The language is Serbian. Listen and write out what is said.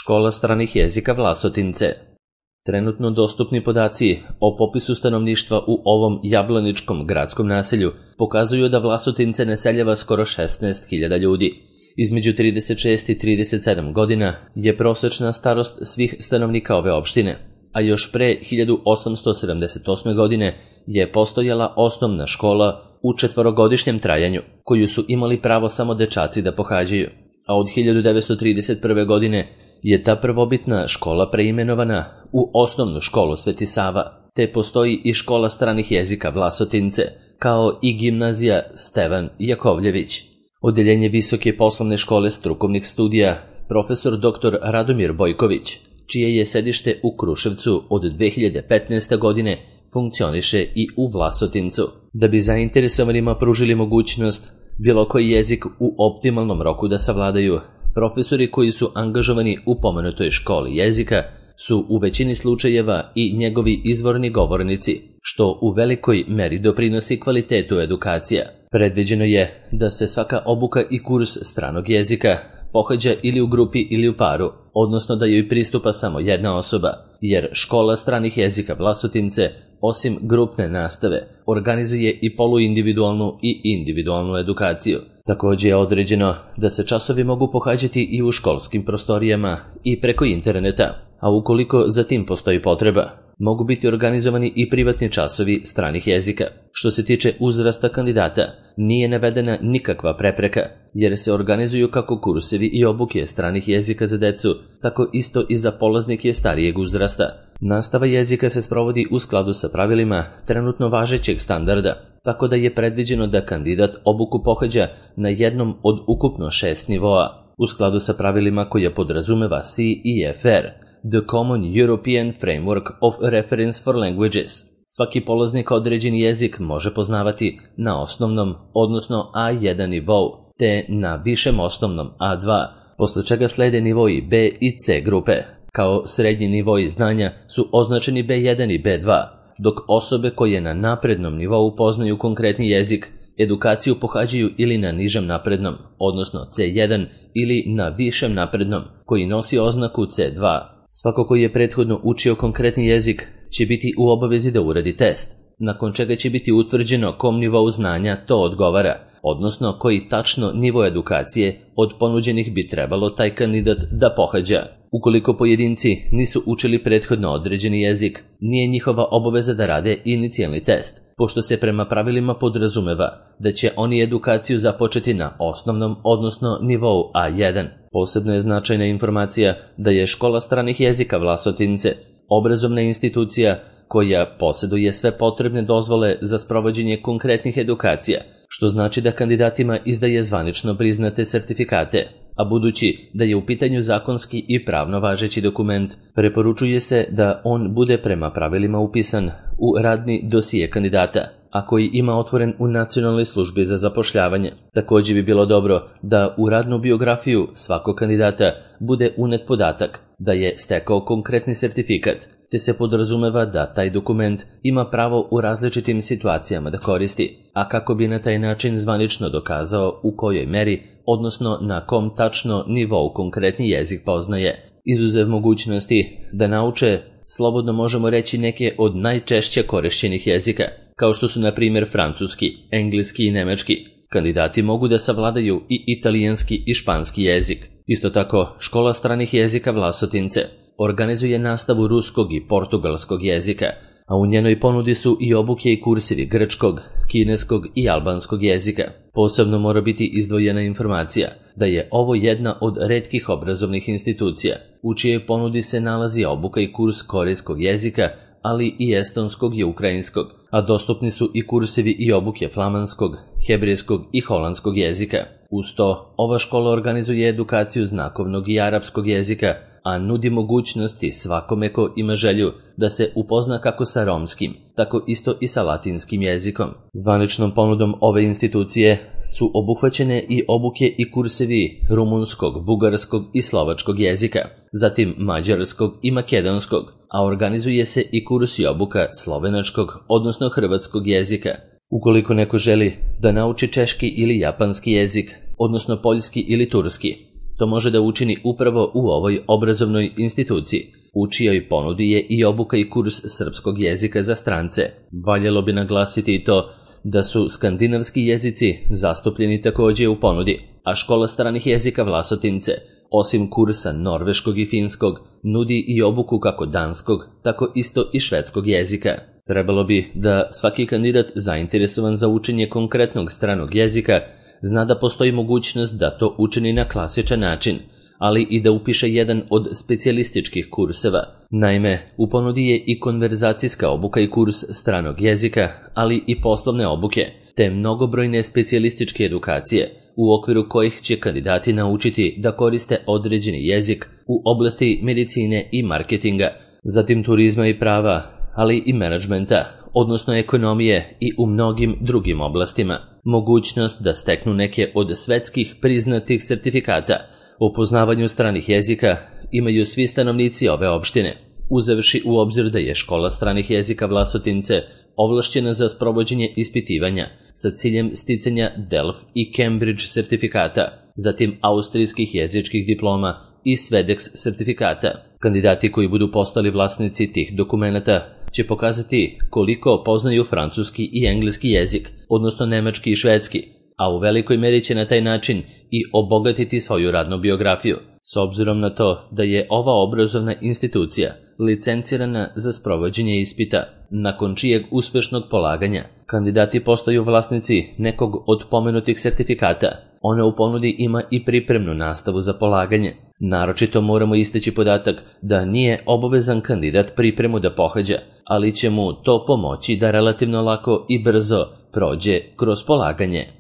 Škola stranih jezika Vlasotince. Trenutno dostupni podaci o popisu stanovništva u ovom jablaničkom gradskom naselju pokazuju da Vlasotince naseljava skoro 16.000 ljudi. Između 36 i 37 godina je prosečna starost svih stanovnika ove opštine, a još pre 1878. godine je postojala osnovna škola u 4-godišnjem trajanju, koju su imali pravo samo dečaci da pohađaju, a od 1931. godine je ta prvobitna škola preimenovana u osnovnu školu Sveti Sava, te postoji i škola stranih jezika Vlasotince, kao i gimnazija Stevan Jakovljević. Odeljenje Visoke poslovne škole strukovnih studija profesor dr. Radomir Bojković, čije je sedište u Kruševcu od 2015. godine, funkcioniše i u Vlasotincu. Da bi zainteresovanima pružili mogućnost bilo koji jezik u optimalnom roku da savladaju, profesori koji su angažovani u pomenutoj školi jezika su u većini slučajeva i njegovi izvorni govornici, što u velikoj meri doprinosi kvalitetu edukacija. Predviđeno je da se svaka obuka i kurs stranog jezika pohađa ili u grupi ili u paru, odnosno da joj pristupa samo jedna osoba, jer škola stranih jezika Vlasotince, osim grupne nastave, organizuje i poluindividualnu i individualnu edukaciju. Također je određeno da se časovi mogu pohađati i u školskim prostorijama i preko interneta, a ukoliko za tim postoji potreba, mogu biti organizovani i privatni časovi stranih jezika. Što se tiče uzrasta kandidata, nije navedena nikakva prepreka, jer se organizuju kako kursevi i obuke stranih jezika za decu, tako isto i za polaznike starijeg uzrasta. Nastava jezika se sprovodi u skladu sa pravilima trenutno važećeg standarda, tako da je predviđeno da kandidat obuku pohađa na jednom od ukupno 6 nivoa, u skladu sa pravilima koje podrazumeva CEFR, The Common European Framework of Reference for Languages. Svaki polaznik određeni jezik može poznavati na osnovnom, odnosno A1 nivou, te na višem osnovnom A2, posle čega slede nivoi B i C grupe. Kao srednji nivoi znanja su označeni B1 i B2, dok osobe koje na naprednom nivou poznaju konkretni jezik, edukaciju pohađaju ili na nižem naprednom, odnosno C1, ili na višem naprednom, koji nosi oznaku C2. Svako koji je prethodno učio konkretni jezik će biti u obavezi da uradi test, nakon čega će biti utvrđeno kom nivou znanja to odgovara, odnosno koji tačno nivo edukacije od ponuđenih bi trebalo taj kandidat da pohađa. Ukoliko pojedinci nisu učili prethodno određeni jezik, nije njihova obaveza da rade inicijalni test, pošto se prema pravilima podrazumeva da će oni edukaciju započeti na osnovnom, odnosno nivou A1. Posebno je značajna informacija da je škola stranih jezika Vlasotince obrazovna institucija koja posjeduje sve potrebne dozvole za sprovođenje konkretnih edukacija, što znači da kandidatima izdaje zvanično priznate sertifikate, a budući da je u pitanju zakonski i pravno važeći dokument, preporučuje se da on bude prema pravilima upisan u radni dosije kandidata, a koji ima otvoren u Nacionalnoj službi za zapošljavanje. Također bi bilo dobro da u radnu biografiju svakog kandidata bude unet podatak da je stekao konkretni sertifikat, te se podrazumeva da taj dokument ima pravo u različitim situacijama da koristi, a kako bi na taj način zvanično dokazao u kojoj meri, odnosno na kom tačno nivou konkretni jezik poznaje. Izuzev mogućnosti da nauče, slobodno možemo reći, neke od najčešće korišćenih jezika, kao što su na primjer francuski, engleski i nemački. Kandidati mogu da savladaju i italijanski i španski jezik. Isto tako, škola stranih jezika Vlasotince organizuje nastavu ruskog i portugalskog jezika, a u njenoj ponudi su i obuke i kursevi grčkog, kineskog i albanskog jezika. Posebno mora biti izdvojena informacija da je ovo jedna od retkih obrazovnih institucija u čijoj ponudi se nalazi obuka i kurs korejskog jezika, ali i estonskog i ukrajinskog, a dostupni su i kursevi i obuke flamanskog, hebrejskog i holandskog jezika. Uz to, ova škola organizuje edukaciju znakovnog i arapskog jezika, a nudi mogućnosti svakome ko ima želju da se upozna kako sa romskim, tako isto i sa latinskim jezikom. Zvaničnom ponudom ove institucije su obuhvaćene i obuke i kursevi rumunskog, bugarskog i slovačkog jezika, zatim mađarskog i makedonskog, a organizuje se i kurs i obuka slovenačkog, odnosno hrvatskog jezika. Ukoliko neko želi da nauči češki ili japanski jezik, odnosno poljski ili turski, to može da učini upravo u ovoj obrazovnoj instituciji, u čijoj ponudi je i obuka i kurs srpskog jezika za strance. Valjalo bi naglasiti i to da su skandinavski jezici zastupljeni takođe u ponudi, a škola stranih jezika Vlasotince, osim kursa norveškog i finskog, nudi i obuku kako danskog, tako isto i švedskog jezika. Trebalo bi da svaki kandidat zainteresovan za učenje konkretnog stranog jezika zna da postoji mogućnost da to učini na klasičan način, ali i da upiše jedan od specijalističkih kurseva. Naime, u ponudi je i konverzacijska obuka i kurs stranog jezika, ali i poslovne obuke, te mnogobrojne specijalističke edukacije, u okviru kojih će kandidati naučiti da koriste određeni jezik u oblasti medicine i marketinga, zatim turizma i prava, ali i menadžmenta, odnosno ekonomije i u mnogim drugim oblastima. Mogućnost da steknu neke od svetskih priznatih sertifikata o poznavanju stranih jezika imaju svi stanovnici ove opštine, uzevši u obzir da je škola stranih jezika Vlasotince ovlašćena za sprovođenje ispitivanja sa ciljem sticanja DELF i Cambridge sertifikata, zatim austrijskih jezičkih diploma i SVEDEX sertifikata. Kandidati koji budu postali vlasnici tih dokumenata će pokazati koliko poznaju francuski i engleski jezik, odnosno nemački i švedski, a u velikoj meri će na taj način i obogatiti svoju radnu biografiju, s obzirom na to da je ova obrazovna institucija licencirana za sprovođenje ispita, nakon čijeg uspešnog polaganja kandidati postaju vlasnici nekog od pomenutih sertifikata. Ona u ponudi ima i pripremnu nastavu za polaganje. Naročito moramo istaći podatak da nije obavezan kandidat pripremu da pohađa, ali će mu to pomoći da relativno lako i brzo prođe kroz polaganje.